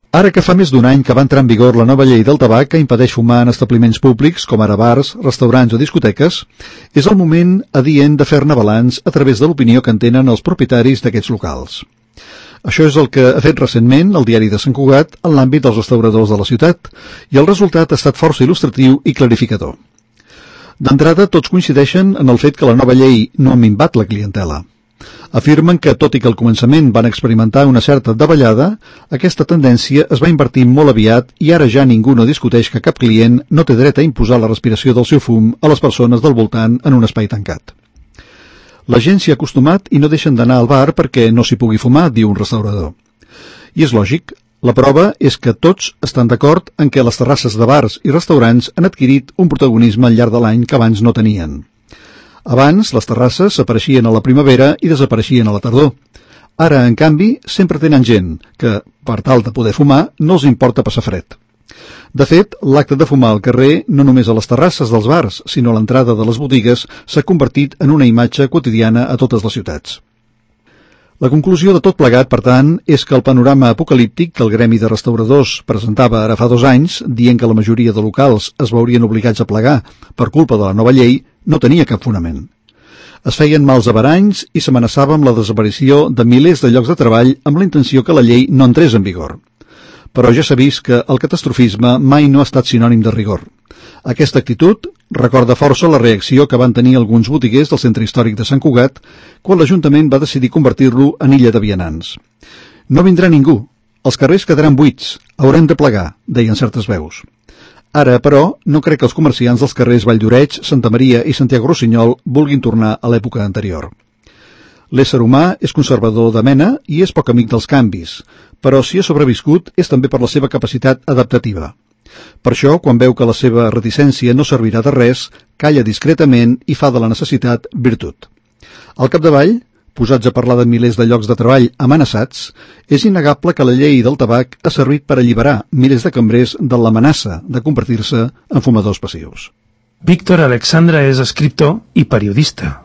Ara que fa més d'un any que va entrar en vigor la nova llei del tabac que impedeix fumar en establiments públics, com ara bars, restaurants o discoteques, és el moment adient de fer-ne balanç a través de l'opinió que en tenen els propietaris d'aquests locals. Això és el que ha fet recentment el diari de Sant Cugat en l'àmbit dels restauradors de la ciutat, i el resultat ha estat força il·lustratiu i clarificador. D'entrada, tots coincideixen en el fet que la nova llei no ha minvat la clientela. Afirmen que, tot i que al començament van experimentar una certa davallada, aquesta tendència es va invertir molt aviat i ara ja ningú no discuteix que cap client no té dret a imposar la respiració del seu fum a les persones del voltant en un espai tancat. La gent s'hi ha acostumat i no deixen d'anar al bar perquè no s'hi pugui fumar, diu un restaurador. I és lògic. La prova és que tots estan d'acord en què les terrasses de bars i restaurants han adquirit un protagonisme al llarg de l'any que abans no tenien. Abans, les terrasses apareixien a la primavera i desapareixien a la tardor. Ara, en canvi, sempre tenen gent que, per tal de poder fumar, no els importa passar fred. De fet, l'acte de fumar al carrer, no només a les terrasses dels bars, sinó a l'entrada de les botigues, s'ha convertit en una imatge quotidiana a totes les ciutats. La conclusió de tot plegat, per tant, és que el panorama apocalíptic que el gremi de restauradors presentava ara fa 2 anys, dient que la majoria de locals es veurien obligats a plegar per culpa de la nova llei, no tenia cap fonament. Es feien mals averanys i s'amenaçava amb la desaparició de milers de llocs de treball amb la intenció que la llei no entrés en vigor. Però ja s'ha vist que el catastrofisme mai no ha estat sinònim de rigor. Aquesta actitud recorda força la reacció que van tenir alguns botiguers del centre històric de Sant Cugat quan l'Ajuntament va decidir convertir-lo en illa de vianants. No vindrà ningú, els carrers quedaran buits, haurem de plegar, deien certes veus. Ara, però, no crec que els comerciants dels carrers Valldoreix, Santa Maria i Santiago Rossinyol vulguin tornar a l'època anterior. L'ésser humà és conservador de mena i és poc amic dels canvis, però si ha sobreviscut és també per la seva capacitat adaptativa. Per això, quan veu que la seva reticència no servirà de res, calla discretament i fa de la necessitat virtut. Al capdavall, posats a parlar de milers de llocs de treball amenaçats, és innegable que la llei del tabac ha servit per alliberar milers de cambrers de l'amenaça de convertir-se en fumadors passius. Víctor Alexandra és escriptor i periodista.